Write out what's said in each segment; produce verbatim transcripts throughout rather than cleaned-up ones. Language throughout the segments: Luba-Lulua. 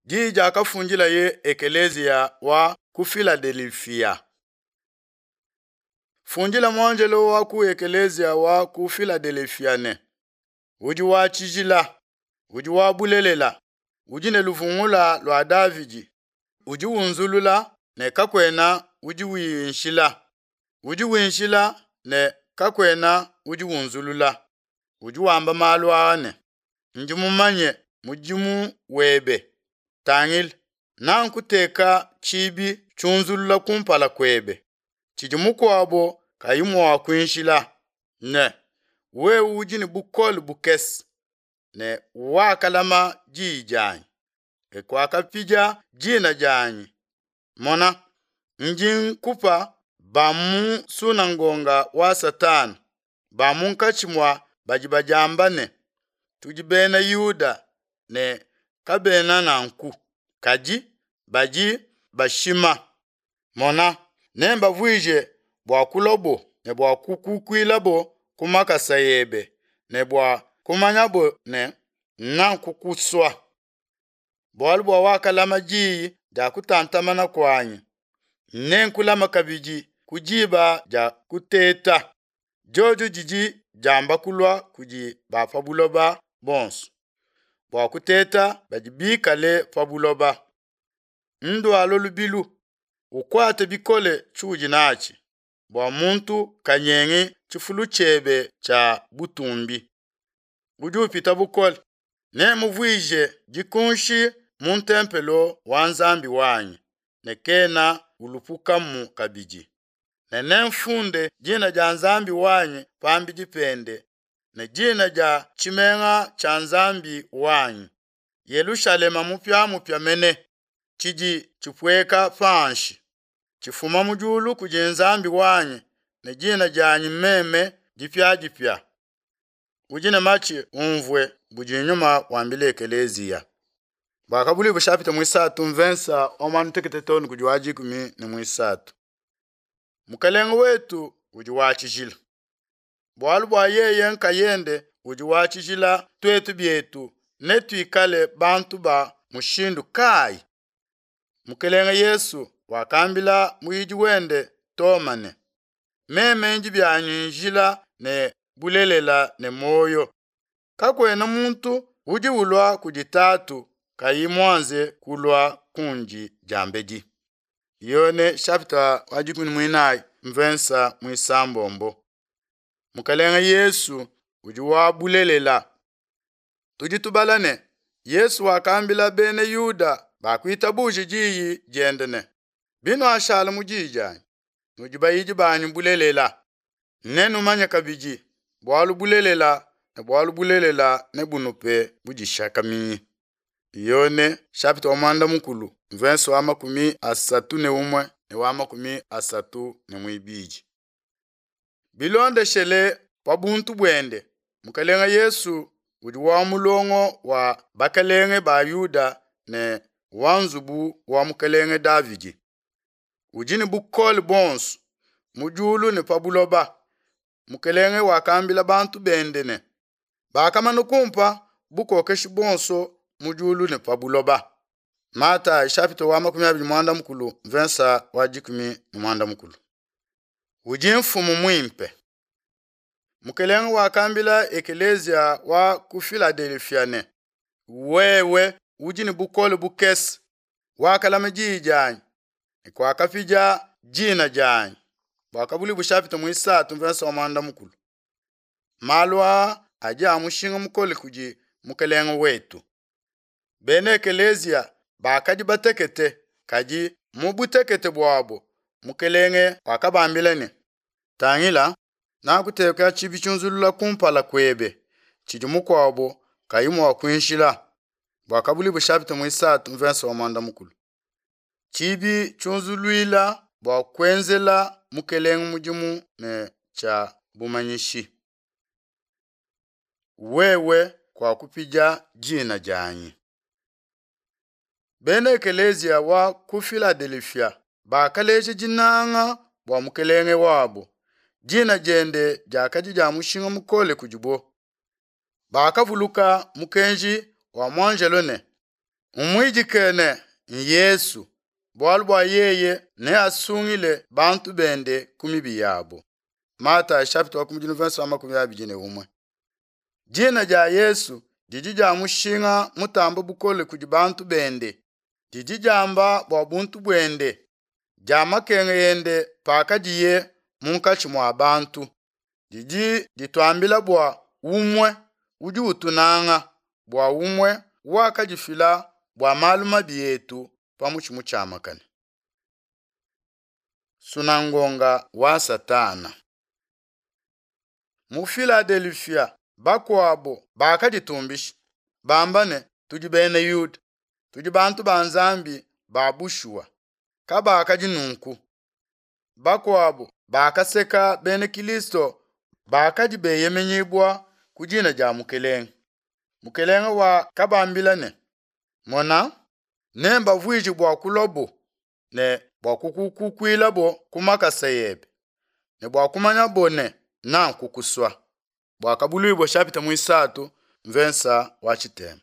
Diyi diakafundilaye ekeleziya wa ku Filadelefia. Fundila muanjelo wa ku ekeleziya wa ku Filadelefia ne: Udi wa tshijila, udi wa bulelela, udi ne luvungula lua Davidi, udi unzulula ne kakuena udi winshila, udi winshila ne kakuena udi unzulula. Udi wamba malu aa ne: Ndi mumanye mudimu webe. Tangila, nankuteka tshibi tshiunzulula kumpala kuebe, tshidi mukuabo kayi mua kuinshila, ne wewe udi ne bukole bukese, ne wakalama diyi dianyi, ne kuakapidia dina dianyi. Mona, ndi nkupa ba mu nsunangonga wa Satana, ba munkatshi mua badi badiamba ne, Tudi bena Yuda, ne kabena nanku, kadi badi bashima. Mona, nembavuije bua kuluabo ne bua kukukuilabo ku makasa ebe, ne bua kumanyabo ne, Nakukusua. Bualu bua wakalama diyi dia kutantamana kuanyi, nenkulame kabidi ku diba dia kuteta, diodio didi diamba kulua kudi ba pa buloba bonso, bua kuteta badi bikale pa buloba. Ndualua lubilu, ukuate bikole tshiudi natshi, bua muntu kanyengi tshifulu tshiebe tshia butumbi. Udi upita bukole, nemuvuije dikunshi mu ntempelo wa Nzambi wanyi, ne kena ulupukamu kabidi. Ne nemfunde dina dia Nzambi wanyi pambidi pende, ne dina dia tshimenga tshia Nzambi wanyi, Yelushalema mupiamupia mene, tshidi tshipueka panshi, tshifuma mu diulu kudi Nzambi wanyi, ne dina dianyi meme dipiadipia. Udi ne matshi umvue budi Nyuma wambila ekeleziya. Buakabuluibua chapitre muisatu mvensa wa muanda-mutekete too ne kudi wa dikumi ne muisatu. Mukelenge wetu udi wa tshijila. Bualu bua yeye nkayende udi wa tshijila, tuetu bietu netuikale bantu ba mushindu kayi? Mukelenge Yesu wakambila muyidi wende Toma ne: Meme ndi bianyi njila ne bulelela ne muoyo. Kakuena muntu udi ulua kudi Tatu kayi muanze kulua kundi diambedi. Yone chapitre wa dikumi ne muinayi mvensa muisambombo. Mukelenge Yesu udi wa bulelela. Tudi tubala ne Yesu wakambila bena Yuda bakuitabuja diyi diende ne: Binuashala mu diyi dianyi, nudi bayidi banyi bulelela, nenumanye kabidi bualu bulelela, ne bualu bulelela nebunupe budishakaminyi. Yone chapitre wa muanda-mukulu mvensa wa makumi asatu ne umue ne wa makumi asatu ne muibidi. Bilondeshele pa buntu buende, Mukelenge Yesu udi wa mulongo wa bakelenge ba Yuda ne wa nzubu wa Mukelenge Davidi. Udi ne bukole buonso mu diulu ne pa buloba. Mukelenge wakambila bantu bende ne: Bakamana kumpa bukokeshi buonso mu diulu ne pa buloba. Matayi chapitre wa makumi abidi muanda-mukulu mvensa wa dikumi ne muanda-mukulu. Udi mfumu muimpe. Mukelenge wakambila ekeleziya wa ku Filadelefia ne: Wewe udi ne bukole bukese, wakalama diyi dianyi, ne kuakapidia dina dianyi. Buakabuluibua chapitre muisatu mvensa wa muanda-mukulu. Malu aa adi a mushinga mukole kudi Mukelenge wetu. Bena ekeleziya bakadi batekete, kadi mu butekete buabo Mukelenge wakabambila ne: Tangila, nakuteka tshibi tshiunzulula kumpala kuebe, tshidi mukuabo kayi mua kuinshila. Buakabuluibua chapitre muisatu mvensa wa muanda-mukulu. Tshibi tshiunzuluila bua kuenzela Mukelenge mudimu ne tshia bumanyishi. Wewe kuakupidia dina dianyi. Bena ekeleziya wa ku Filadelefia bakaleja dinanga bua Mukelenge wabo. Dina diende diakadi dia mushinga mukole kudibo. Bakavuluka mukenji wa muanjelo ne: Umuidike ne, Yesu, bualu bua yeye neasungile bantu bende ku mibi yabo. Matayo chapitre wa kumudilu verse wa makumi abidi ne umue. Dina dia Yesu didi dia mushinga mutamba bukole kudi bantu bende. Didi diamba bua buntu buende, dia makenga ende pakadiye munkatshi mua bantu. Didi dituambila bua umue udi utunanga, bua umue wakadifila bua malu mabi etu pa mutshi mutshiamakane. Sunangonga wa Satana. Mu Filadelfia bakuabo bakaditumbisha bamba ne tudi bena Yuda, tudi bantu ba Nzambi ba bushuwa. Kabakadi nunku. Bakuabo bakaseka bena Kilisto bakadi beyemenyibua ku dina dia Mukelenge. Mukelenge wakabambila ne, Mona, nembavuije bua kulobo ne bua kukukuilabo ku makasa ebe, ne bua kumanyabo ne nakukusua. Buakabuluibua chapitre muisatu mvensa wa tshitema.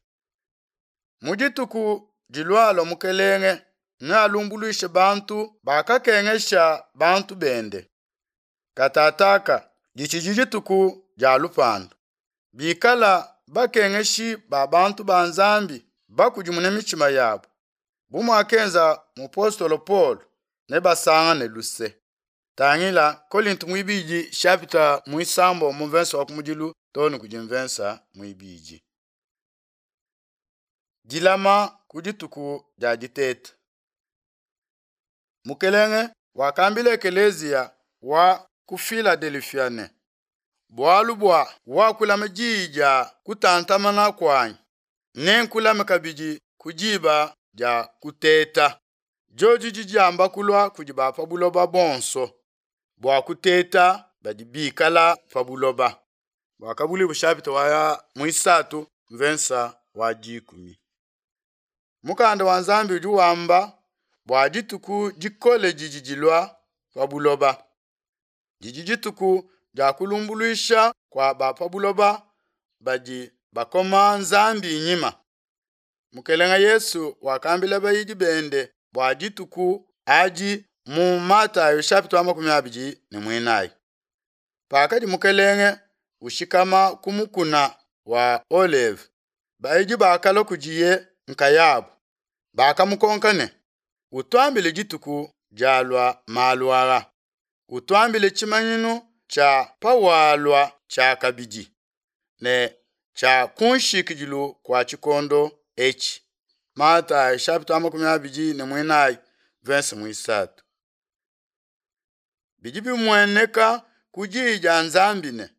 Mu dituku dilualua Mukelenge nealumbuluishe bantu bakakengesha bantu bende. Katataka ditshidi dituku dia lupandu. Bikala bakengeshi ba bantu ba Nzambi bakudimune mitshima yabo, bu muakenza mupostolo Paul, nebasangane luse. Tangila Kolinto muibidi chapitre muisambo mu verse wa kumudilu too ne kudi mvensa muibidi. Dilama ku dituku dia diteta. Mukelenge wakambila ekeleziya wa ku Filadelfia ne, bualu bua wakulama diyi dia kutantamana kuanyi, nenkulame kabidi ku diba dia kuteta. Diodi didi diamba kulua kudi ba pa buloba bonso, bua kuteta badi bikala pa buloba. Buakabuluibua chapitre wa muisatu mvensa wa dikumi. Mukanda wa Nzambi udi wamba bua dituku dikole didi dilua pa buloba. Didi dituku dia kulumbuluisha kua ba pa buloba badi bakoma Nzambi nyima. Mukelenge Yesu wakambila bayidi bende bua dituku adi mu Matayo chapitre wa makumi abidi ne muinayi. Pakadi Mukelenge ushikama ku mukuna wa Oleve, bayidi bakalua kudiye nkayabo, bakamukonka ne, utuambile dituku dialua malu aa, utuambile tshimanyinu tshia pawalua tshiakabidi ne tshia kunshikidilu kua tshikondo etshi. Matayo chapitre wa makumi abidi ne muinayi verse muisatu. Bidi bimueneka ku diyi dia Nzambi ne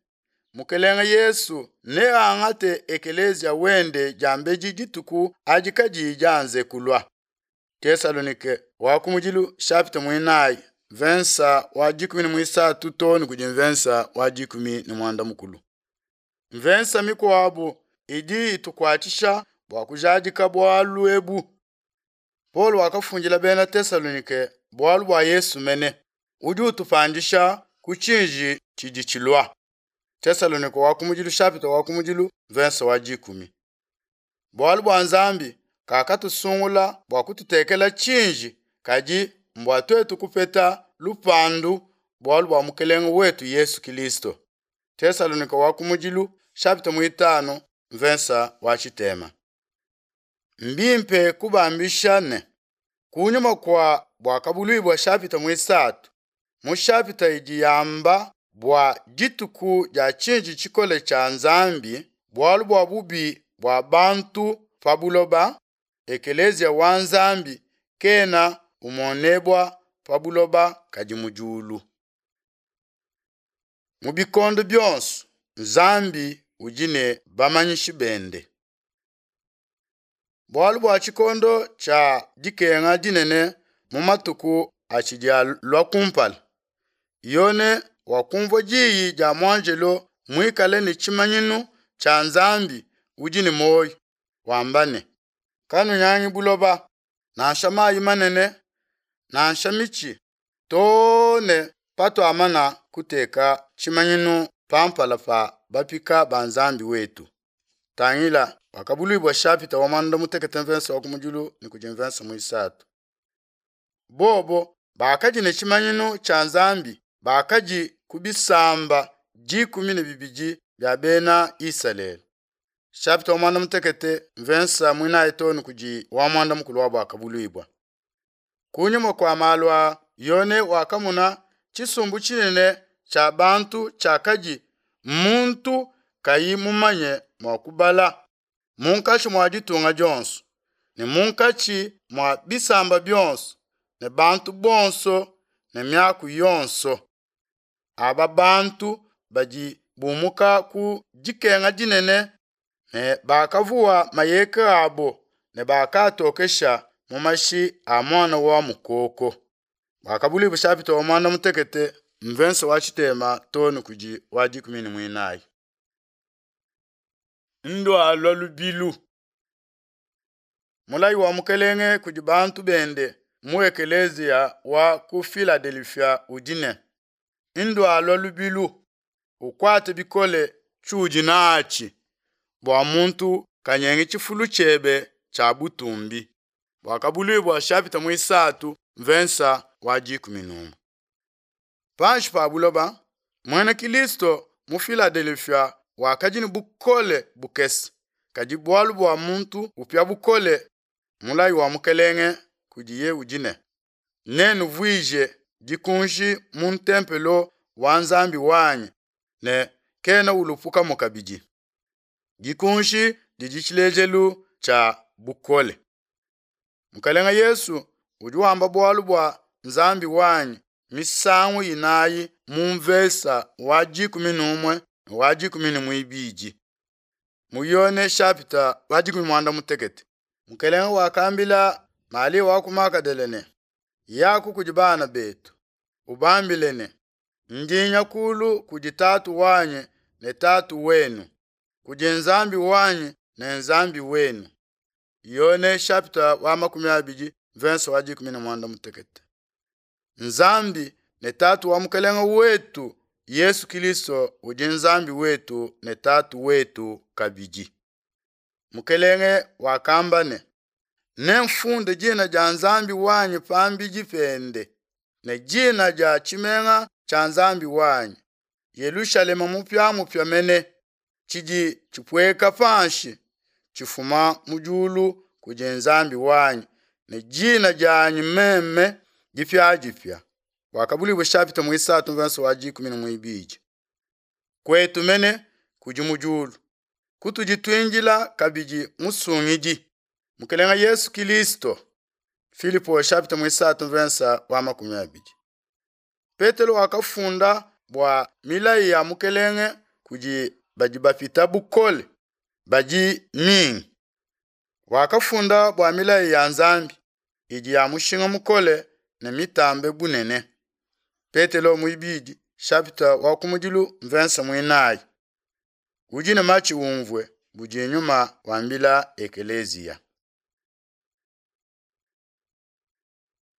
Mukelenge Yesu neangate ekelezia wende diambedi dituku adi kadiyi dianze kulua. Tesalonike wa kumudilu chapitre muinayi vensa wa dikumi ne muisatu too ne kudi mvensa wa dikumi ne muanda mukulu. Mvensa mikuabu idi itukuatshisha bua kujadika bualu ebu. Paul wakafundila bena Tesalonike bualu bua Yesu mene udi utupandisha ku tshinji tshidi tshilua. Tesalonike wa kumudilu chapitre wa kumudilu verse wa dikumi. Bualu bua Nzambi kakatusungula bua kututekela tshinji, kadi mbua tuetu kupeta lupandu bualu bua Mukelenge wetu Yesu Kilisto. Tesalonike wa kumudilu chapitre muitanu mvensa wa tshitema. Mbimpe kubambisha ne kunyuma kua Buakabuluibua chapitre muisatu, mu chapitre idi yamba bua dituku dia tshinji tshikole tshia Nzambi, bualu bua bubi bua bantu pa buloba, ekelezia wa Nzambi kena umonebua pa buloba kadi mu diulu. Mu bikondo bionso Nzambi udi ne bamanyishi bende. Bualu bua tshikondo tshia dikenga dinene mu matuku atshidi alua kumpala, Yone wakumvua diyi dia muanjelo muikale ne tshimanyinu tshia Nzambi udi ne muoyo, wamba ne, kanunyangi buloba, nansha mayi manene, nansha mitshi, too ne patuamana kuteka tshimanyinu pa mpala pa bapika ba Nzambi wetu. Tangila Buakabuluibua shapita wa muanda mutekete mvensa wa kumudilu ne kudi mvensa muisatu. Bobo bakadi ne tshimanyinu tshia Nzambi, bakadi ku bisamba dikumi ne bibidi bia bena Isalele. Shapita wa muanda mutekete mvensa muinayi too ne kudi wa muanda mukulu wa Buakabuluibua. Kunyima kua malu aa, Yone wakamona tshisumbu tshinene tshia bantu tshiakadi muntu kayi mumanye mua kubala munkatshi mua ditunga dionso ne munkatshi mua bisamba bionso ne bantu bonso ne miaku yonso. Aba bantu badi bumuka ku dikenga dinene ne bakavuwa mayeka abo ne bakatokesha mu mashi a muana wa mukoko. Buakabuluibua shapita wa muanda mutekete mvensa wa tshitema too ne kudi wa dikumi ne muinayi. Ndualua lubilu. Mulayi wa Mukelenge kudi bantu bende mu ekeleziya wa ku Filadelefia udi ne: Ndualua lubilu, ukuate bikole tshiudi natshi, bua muntu kanyengi tshifulu tshiebe tshia butumbi. Buakabuluibua shapita muisatu mvensa wa dikumi n'umue. Panshi pa buloba, muena Kilisto mu Filadelefia wakadi ne bukole bukese, kadi bualu bua muntu upia bukole, mulayi wa Mukelenge kudiye udi ne: Nennuvuije dikunji mu ntempelo wa Nzambi wanyi ne kena ulupukamu kabidi. Dikunji didi tshilejelu tshia bukole. Mukelenge Yesu udi wamba bualu bua Nzambi wanyi misangu inayi mu mvesa wa dikumi n'umue ne wa dikumi ne muibidi. Mu Yone shapita wa dikumi muanda mutekete, Mukelenge wakambila Malia wa ku Magadala ne: Yaku kudi bana betu, ubambile ne, ndi nya kulu kudi Tatu wanyi ne Tatu wenu, kudi Nzambi wanyi ne Nzambi wenu. Yone shapita wa makumi abidi mvensa wa dikumi ne muanda mutekete. Nzambi ne Tatu wa Mukelenge wetu Yesu Kilisto udi Nzambi wetu ne Tatu wetu kabidi. Mukelenge wakamba ne: Nemfunde dina dia Nzambi wanyi pambidi pende ne dina dia tshimenga tshia Nzambi wanyi, Yelushalema mupiamupia mene, tshidi tshipueka panshi tshifuma mu diulu kudi Nzambi wanyi, ne dina dianyi meme dipiadipia. Buakabuluibua shapita muisatu mvensa wa dikumi ne muibidi. Kuetu mene kudi mu diulu, kutudi tuindila kabidi musungidi, Mukelenge Yesu Kilisto. Filipo shapita muisatu mvensa wa makumi abidi. Petelo wakafunda bua milayi ya Mukelenge kudi badi bapita bukole badi mingi. Wakafunda bua milayi ya Nzambi idi ya mushinga mukole ne mitambe bunene. Petelo muibidi shapita wa kumudilu mvensa muinayi. Udi ne matshi umvue budi nyuma wambila ekeleziya.